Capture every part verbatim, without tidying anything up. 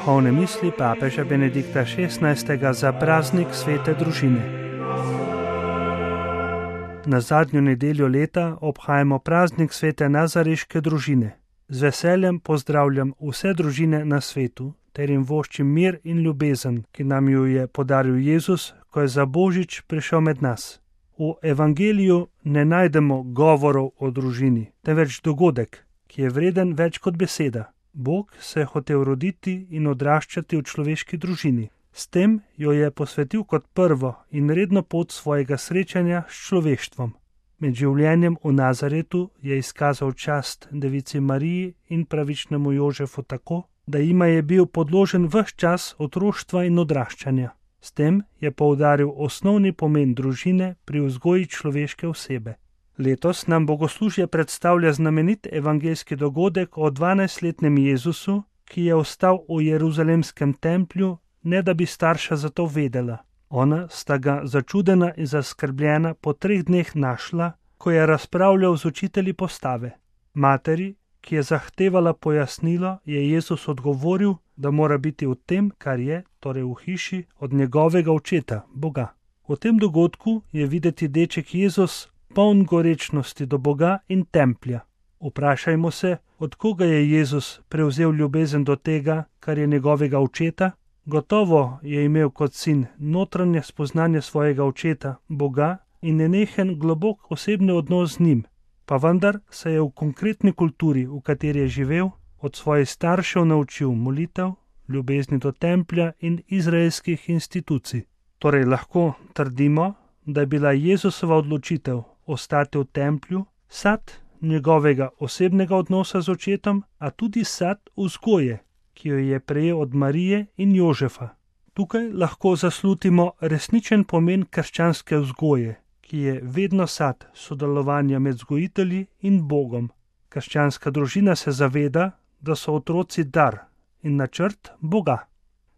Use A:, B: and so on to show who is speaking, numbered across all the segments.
A: duhovne misli papeža Benedikta šestnajstega za praznik svete družine. Na zadnjo nedeljo leta obhajamo praznik svete nazareške družine. Z veseljem pozdravljam vse družine na svetu ter jim voščim mir in ljubezen, ki nam jo je podaril Jezus, ko je za Božič prišel med nas. V evangeliju ne najdemo govorov o družini, temveč dogodek, ki je vreden več kot beseda. Bog se je hotel roditi in odraščati v človeški družini. S tem jo je posvetil kot prvo in redno pot svojega srečanja s človeštvom. Med življenjem v Nazaretu je izkazal čast devici Mariji in pravičnemu Jožefu tako, da jima je bil podložen ves čas otroštva in odraščanja. S tem je poudaril osnovni pomen družine pri vzgoji človeške osebe. Letos nam bogoslužje predstavlja znamenit evangeljski dogodek o dvanajstletnem Jezusu, ki je ostal v jeruzalemskem templju, ne da bi starša za to vedela. Ona sta ga začudena in zaskrbljena po treh dneh našla, ko je razpravljal z učitelji postave. Materi, ki je zahtevala pojasnilo, je Jezus odgovoril, da mora biti v tem, kar je, torej v hiši, od njegovega očeta, Boga. V tem dogodku je videti deček Jezus poln gorečnosti do Boga in templja. Vprašajmo se, od koga je Jezus prevzel ljubezen do tega, kar je njegovega očeta? Gotovo je imel kot sin notranje spoznanje svojega očeta, Boga, in nenehen globok osebni odnos z njim, pa vendar se je v konkretni kulturi, v kateri je živel, od svojih staršev naučil molitev, ljubezni do templja in izraelskih institucij. Torej lahko trdimo, da je bila Jezusova odločitev ostati v templju sad njegovega osebnega odnosa z očetom, a tudi sad vzgoje, ki jo je prejel od Marije in Jožefa. Tukaj lahko zaslutimo resničen pomen krščanske vzgoje, ki je vedno sad sodelovanja med vzgojitelji in Bogom. Krščanska družina se zaveda, da so otroci dar in načrt Boga.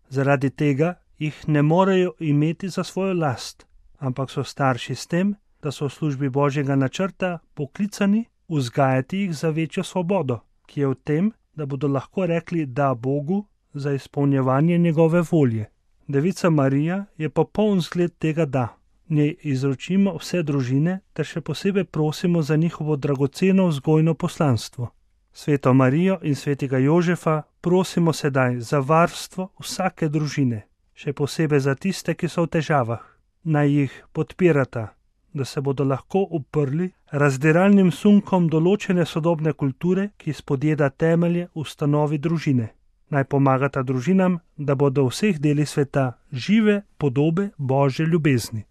A: Zaradi tega jih ne morejo imeti za svojo last, ampak so starši s tem, da so v službi Božjega načrta poklicani vzgajati jih za večjo svobodo, ki je v tem, da bodo lahko rekli da Bogu za izpolnjevanje njegove volje. Devica Marija je popoln zgled tega da. Njej izročimo vse družine ter še posebej prosimo za njihovo dragoceno vzgojno poslanstvo. Sveto Marijo in svetega Jožefa prosimo sedaj za varstvo vsake družine, še posebej za tiste, ki so v težavah. Naj jih podpirata, da se bodo lahko uprli razdiralnim sunkom določene sodobne kulture, ki spodjeda temelje ustanovi družine. Naj pomagata družinam, da bodo v vseh delih sveta žive podobe Božje ljubezni.